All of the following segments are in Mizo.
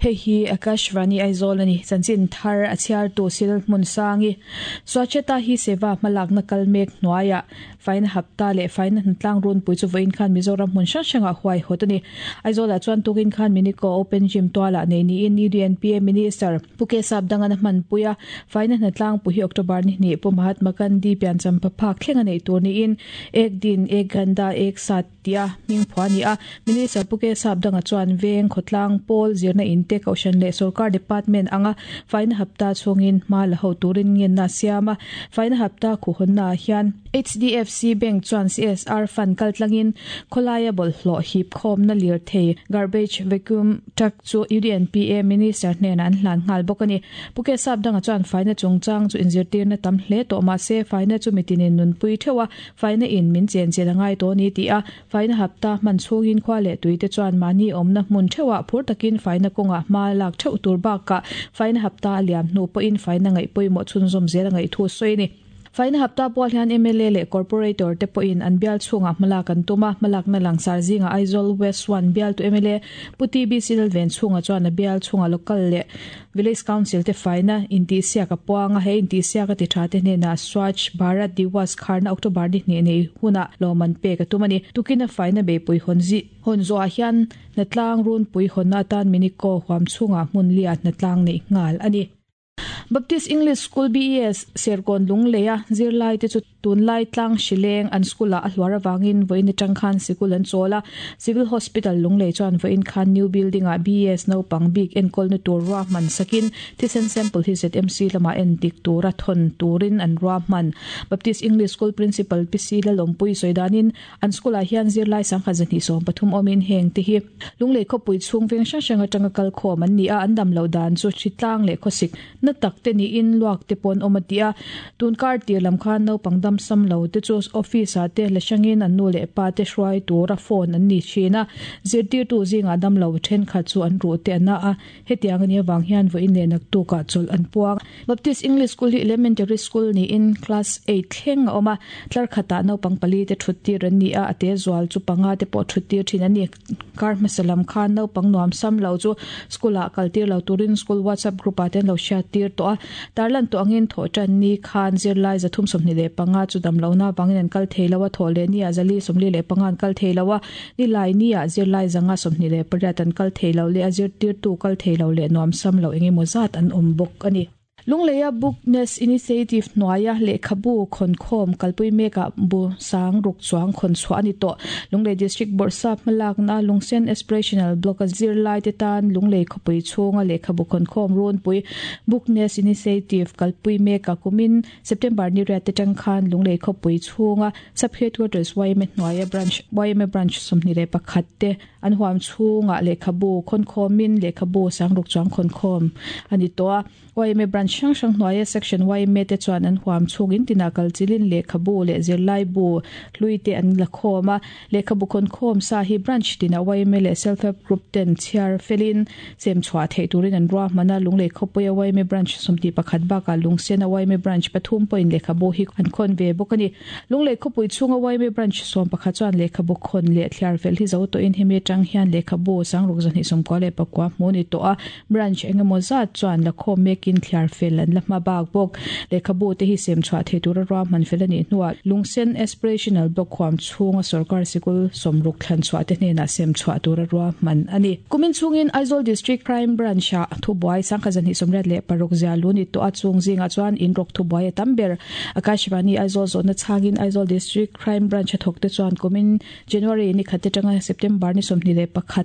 Hei hi Akashvani Aizawl a ni. Chanchin thar a chhiartu Sil Hmunsangi. Swachhata Hi Seva hmalakna kal mek hnuaiah Faina Hapta leh Faina Hnatlang Runpui chu vawiin khan Mizoram hmun hrang hrangah huaihawt a ni. Aizawlah chuan tukin khan Minico Open Gym tualah nei niin UDNPA Minister Pu K Sapdangana hmanpui a, Faina Hnatlang pu hi October ni hnih Pu Mahatma Gandhi piancham paphak thleng a neih tur niin Ek Din Ek Ganda Ek Saath tia hming phuah a ni a. Minister Pu K Sapdanga chuan veng, khawtlang, pawl, zirna in te, kohhran leh sorkar department anga faina hapta chhungin hma la ho turin ngenna a siam a. Faina hapta khuhhawnnaah hian HDFC Bank chuan CSR fund kaltlangin khawlaia bawlhhlawh hip khawmna lirthei, garbage vacuum truck, chu UDNPA Minister hnenah an hlan nghal bawk a ni. Pu K Sapdanga chuan faina chungchang chu inzirtirna tam hle tawh mahse faina chu mitinin nunpui theuh a, Faina in min chen chin a ngai tawh a ni tih a, faina hapta hman chhungin khua leh tuite chuan mahni awmna hmun theuhah phur takin faina kawngah hma lak theuh tur bakah faina hapta a liam hnu pawhin faina ngaih pawimawh chhunzawm zel a ngaih thu a sawi a ni. Faina hapta pual hian mla leh Corporator te pawhin an bial chhungah hmalak an tum a, hmalakna langsar zingah Aizawl West One bialtu mla Pu TB Silven chhunga chuan a bial chhungah local leh Village Council te faina intihsiak a puang a, he intihsiak a ti tha te hnenah Swachh Bharat Diwas kharna October ni hnih nei hunah lawmman pek a tum a ni. Tukin a faina beipui hawn zi hawn zawhah hian hnatlang runpui hawnna atan Miniko huam chhungah hmun liah hnatlang neih nghal a ni. Baptist English School, BES, Serkawn Lungleia zirlai te chu Tunlai tlang hrileng an school ah a hluar avangin vawiin atang khan sikul an chawl a, Civil Hospital Lunglei chuan vawiin khan new building ah BES naupang bik enkawlna tur ruahman sakin thisen sample hi ZMC lamah en dik tura thawn turin an ruahman. Baptist English School Principal Pi Si Lalawmpui sawi danin an school ah hian zirlai sangkhat 230 awmin heng te hi Lunglei khawpui chhung veng hrang hrang atanga kalkhawm an ni a, an dam loh dan chu hritlang leh khawsik Na tak te niin luak te pawh an awm a ti a, tun kar tir lam khan naupang dam sam lo te chu office ah te la hrangin an nu leh pa te hruai tura phone an ni thin a, zirtirtu zingah dam lo thenkhat chu an ruh te a na a, hetiang a nih avang hian vawiin leh naktuk ah chawlh an puang. Baptist English School hi Elementary School niin class eight thleng a awm a, tlar khatah naupang pali te thut tir an ni a, a te zual chu panga te pawh thut tir thin a ni. Kar hmasa lam khan naupang nuam sam lo chu school ah kal tir lo turin school WhatsApp group ah te an lo hriat tir tawh a. Tarlan tawh angin thawh tan ni khan zirlai 325 chu dam lohna avangin an kal thei lo a, thawh leh ni ah 445 an kal thei lo a, nilai ni ah zirlai 128 an kal thei lo leh a zirtirtu kal thei lo leh nuam sam lo eng emaw zat an awm bawk a ni. Lungleia Bookness Initiative hnuaia lehkhabu khawnkhawm kalpui mekah bu sang ruk chuang khawn chhuah a ni tawh. Lunglei District Bawrhsap hmalakna Lungsen Aspirational Block-a zirlaite tan Lunglei khawpui chhunga lehkhabu khawnkhawm runpui Bookness Initiative kalpui mekah kumin September ni riat atang khan Lunglei khawpui chhunga Sub-Headquarters yma hnuaia Branch yma Branch 21 te An huam chhungah lehkhabu khawnkhawmin lehkhabu sangruk chuang khawnkhawm a ni tawh a. Yma branch hrang hrang hnuaia section yma te chuan an huam chhungin tinah kal chilin lehkhabu leh zirlaibu hlui te an la khawm a. Lehkhabu khawnkhawm sa hi branch tinah yma leh self help group ten chhiar felin sem chhuah theih turin an ruahman a. Lunglei khawpuia yma branch 21 bakah Lungsena yma branch pathum pawhin lehkhabu hi an khawn ve bawk a ni. Lunglei khawpui chhunga yma branch 11 chuan lehkhabu khawn leh thliar fel hi zo tawhin hemi atang hian lehkhabu sangruk 299 hmu ni tawh a, branch eng emaw zat chuan la khawm mekin thliar fel an la hma bak bawk. Lehkhabu te hi sem chhuah thei tura ruahman fel a nih hnuah Lungsen Aspirational Block huam chhunga sorkar sikul 60 thlan chhuah te hnenah sem chhuah tura ruahman a ni. Kumin chhungin Aizawl District Crime Branch-ah thubuai 1,286 zia lu ni tawh a, chung zingah chuan inrawk thubuai a tam ber. Akashvani Aizawl zawhna chhangin Aizawl District Crime Branch a thawkte chuan kumin January ni khat atanga September ni 21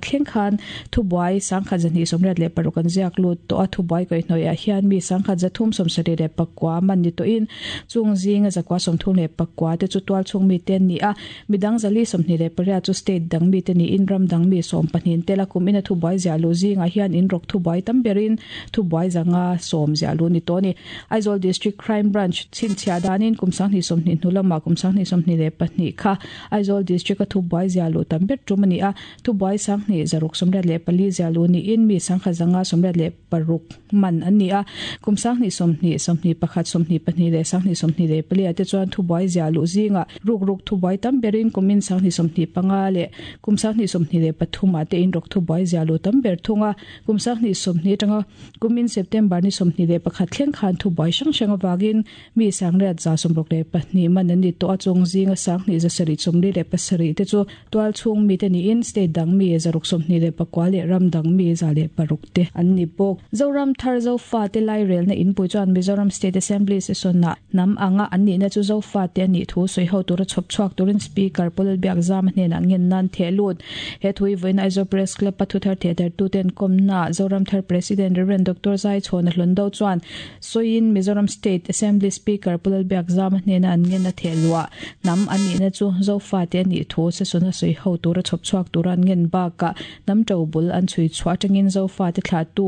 thleng khan thubuai 1286 an ziak lut tawh a, thubuai kaihhnawihah hian mi 1379 man ni tawhin chung zinga 934 te chu tualchhung mite an ni a, midang 428 chu state dang mite niin ram dang mi 12 tel a, kumin a thubuai ziah luh zingah hian inrawk thubuai tam berin thubuai zanga sawm ziah luh ni tawh a ni. Aizawl District Crime Branch chhinchhiah danin kum 2020 hnu lamah kum 2022 kha Aizawl District-a thubuai zia luh tam ber tum a ni a, thubuai 2684 zia luh niin mi 1186 man an ni a. Kum 20 20, 21, 22 leh 2024 ah te chuan thubuai ziah luh zingah rukruk thubuai tam berin kumin 2025 leh kum 2023 ah te inrawk thubuai ziah luh tam ber thung a. Kum 2020 atanga kumin September ni 21 thleng khan thubuai hrang hrang avangin Mi 86,2 man an ni tawh a, chung zinga 27,47 te chu tualchhung mite niin state dang mi 629 leh ram dang mi 106 te an ni bawk. Zoram Thar Zofate Lairelna Inpui chuan Mizoram State Assembly session-ah hnam anga an nihna chu Zofate a nih thu sawi ho tura chhawp chhuak turin Speaker Pu Lalbiakzama hnenah ngen nan theh lut. He thu hi vawiin Aizawl Press Club-a thuthar thehdarhtuten kawmnaah Zoram Thar President Rev. Doctor Zaichhawna Hlawndo chuan Sawiin Mizoram State Assembly Speaker Pu Lalbiakzama hnena an ngen a theh luah hnam an nihna chu Zofate a nih thu session a sawi ho tura chhawp chhuak tura an ngen bakah hnam to bul an chhui chhuah atangin Zofate thlahtu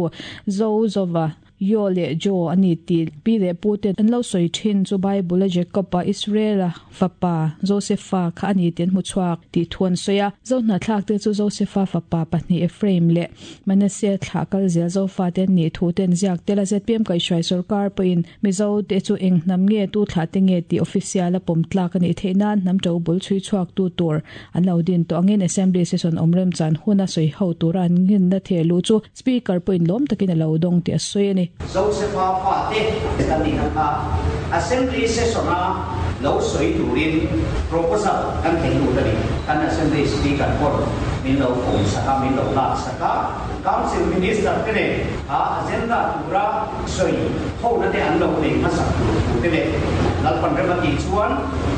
Zo Zova Yo leh Jo a ni tih pi leh pu te an lo sawi thin chu Bible a Jacob-a Israel-a fapa Josefa kha a ni tih an hmu chhuak tih thu an sawi a. Zohnahthlak te chu Josefa fapa pahnih Ephraim leh Manasseh thlah kal zel Zofate an nih thu te an ziak tel a, zpm kaihhruai sorkar pawhin Mizo te chu eng hnam nge tu thlah te nge tih official a pawm tlak a nih theih nan hnam to bul chhui chhuak tu tur an lo din tawh angin Assembly session awm remchan huna sawi ho tura an ngenna theh luh chu Speaker pawhin lawm takin a lo dawng tih a sawi a ni. Josefa fate kan nihna kha Assembly session-a lo sawi turin proposal kan thei lut a ni. Kan Assembly Speaker pawh min lo pawm sak a, min lo lak sak a. Council Minister te nen kha agenda tura sawi hona te an lo nei hmasak tur thu te leh Lalpan rem a tih chuan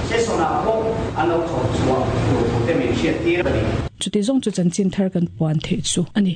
session-ah pawh an lo chhawp chhuah tur thu te min hriattir a ni. Chuti zawng chu chanchin thar kan puan theih chu a ni.